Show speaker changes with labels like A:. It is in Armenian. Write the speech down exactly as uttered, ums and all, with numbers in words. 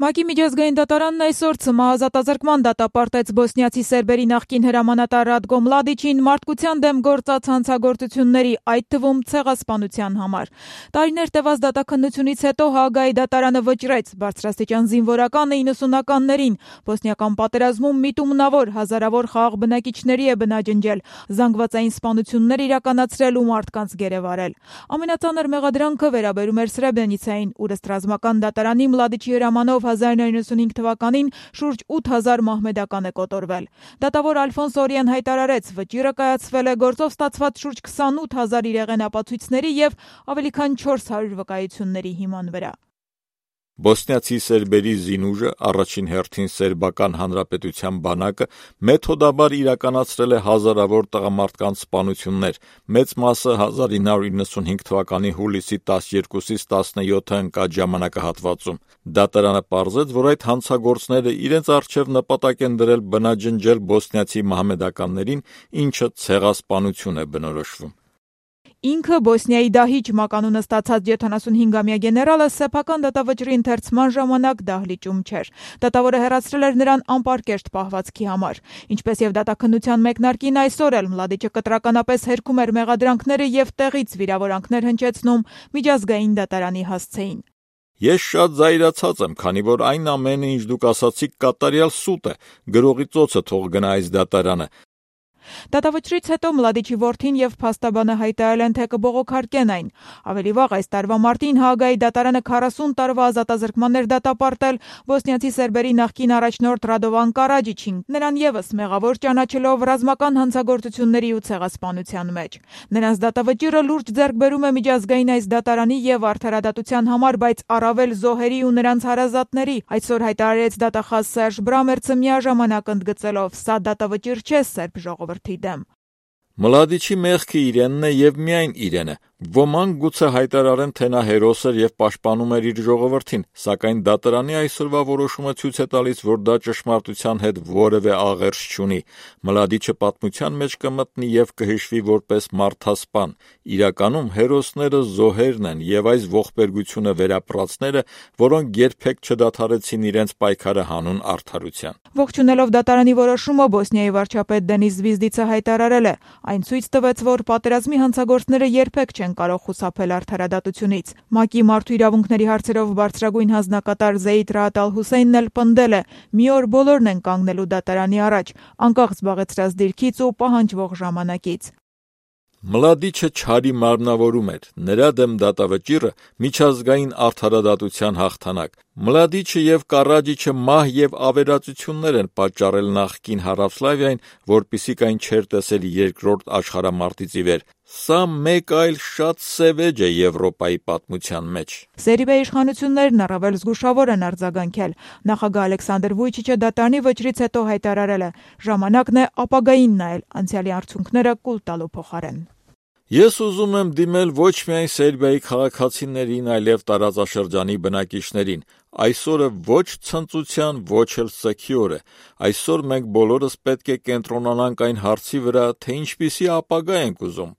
A: ՄԱԿ-ի միջազգային դատարանն այսօր ցմահազատազրկման դատապարտեց բոսնիացի սերբերի նախկին հրամանատար Ռատկո Մլադիչին մարդկության դեմ գործած հանցագործությունների, այդ թվում ցեղասպանության համար։ Տարիներ տևած դատաքննությունից հետո Հաագայի դատարանը վճռեց բարձրաստիճան զինվորականը իննսունականներին բոսնիական պատերազմում միտումնավոր հազարավոր խաղաղ բնակիչների է բնաջնջել, զանգվածային սպանություններ իրականացրել ու մարդկանց գերեվարել։ Ամենածանր մեղադրանքը վերաբերում էր Սրեբրենիցային, ուր ըստ ռազմական դատարանի Մլադիչի հրամանով հազար նույնսուն հինգ թվականին շուրջ ութ հազար մահմեդական է կոտորվել։ Դատավոր Ալֆոնս Օրիեն հայտարարեց, վճիռը կայացվել է գործով ստացված շուրջ քսանութ հազար իրեղեն ապացույցների և ավելի քան չորս հարյուր վկայությունների հիման վրա։
B: Բոսնիացի սերբերի զինուժը, առաջին հերթին Սերբական Հանրապետության բանակը, մեթոդաբար իրականացրել է հազարավոր տղամարդկանց սպանություններ, մեծ մասը հազար ինը հարյուր իննսուն հինգ թվականի հուլիսի տասներկուսից տասնյոթը ընկած ժամանակահատվածում։ Դատարանը պարզեց, որ այդ հանցագործները իրենց առջև նպատակ են դրել բնաջնջել բոսնիացի մահմեդականներին, ինչը ցեղասպանություն է բնորոշվում։
A: Ինքը Բոսնիայի դահիճ մականունը ստացած յոթանասունհինգամյա գեներալը սեփական դատավճռի ընթերցման ժամանակ դահլիճում չէր։ Դատավորը հեռացրել էր նրան անպարկեշտ պահվածքի համար։ Ինչպես եւ դատաքննության մեկնարկին այսօր էլ Մլադիչը կտրականապես հերքում էր մեղադրանքները եւ տեղից վիրավորանքներ հնչեցնում միջազգային դատարանի հասցեին։
B: Ես շատ զայրացած եմ, քանի որ այն ամենը, ինչ դուք ասացիք, կատարյալ սուտ է, գրողի ծոցը թող գնա այս դատարանը։
A: Դատավճռից հետո Մլադիչի որդին եւ փաստաբանը հայտարարել են, թե կբողոքարկեն այն։ Ավելի վաղ այս տարվա մարտին Հաագայի դատարանը քառասուն տարվա ազատազրկման էր դատապարտել բոսնիացի սերբերի նախկին առաջնորդ Ռադովան Կարաջիչին, նրան եւս մեղավոր ճանաչելով ռազմական հանցագործությունների ու ցեղասպանության մեջ։ Նրանց դատավճիռը լուրջ ձեռքբերում է միջազգային այս դատարանի եւ արդարադատության համար, բայց առավել զոհերի ու նրանց հարազատների։ Այսօր հայտարարեց դատախազ Սերժ Բրամերցը միաժամանակ ընդգծելով. «Սա դատավճիռ չէ սերբ ժողովրդի դեմ»։
B: Մլադիչի մեղքը իրենն է եւ միայն իրենը։ Ոմանք գուցե հայտարարեն, թե նա հերոս էր եւ պաշտպանում էր իր ժողովրդին, սակայն դատարանի այսօրվա որոշումը ցույց է տալիս, որ դա ճշմարտության հետ որևէ աղերս չունի։ Մլադիչը պատմության մեջ կմտնի եւ կհիշվի որպես մարդասպան։ Իրականում հերոսները զոհերն են եւ այս ողբերգությունը վերապրածները, որոնք երբեք չդադարեցին իրենց պայքարը հանուն արդարության։
A: Ողջունելով դատարանի որոշումը, Բոսնիայի վարչապետ Դենիս Զվիզդիցը հայտարարել է. «Այն ցույց տվեց, որ պատերազմի հանցագործները երբեք չեն կարող խուսափել արդարադատությունից»։ ՄԱԿ-ի մարդու իրավունքների հարցերով բարձրագույն հանձնակատար Զեյդ Ռաադ Ալ-Հուսեյնն էլ պնդել է. «Մի օր բոլորն են կանգնելու դատարանի առաջ, անկախ զբաղեցրած դիրքից ու պահանջվող ժամանակից»։
B: Մլադիչը չարի մարմնավորում էր, նրա դեմ դատավճիռը միջազգային արդարադատության հաղթանակ։ Մլադիչը եւ Կարաջիչը մահ եւ ավերածություններ են պատճառել նախկին Հարավսլավիային, որպիսիք այն չէր տեսել երկրորդ աշխարհամարտից ի վեր։ Սա մեկ այլ շատ սևեջ է Եվրոպայի պատմության մեջ։
A: Սերբիա իշխանություններն առավել զգուշավոր են արձագանքել։ Նախագահ Ալեքսանդր Վուիչիչը դատարանի վճռից հետո հայտարարել է. «Ժամանակն է ապագային նայել, անցյալի արդյունքները կուլ տալու փոխարեն»։
B: Ես ուզում եմ դիմել ոչ միայն Սերբիայի քաղաքացիներին, այլև տարածաշրջանի բնակիչներին։ Այսօրը ոչ ցնծության, ոչ էլ սգի օր է։ Այսօր մենք բոլորս պետք է կենտրոնանանք այն հարցի վրա, թե ինչպիսի ապագա ենք ուզում։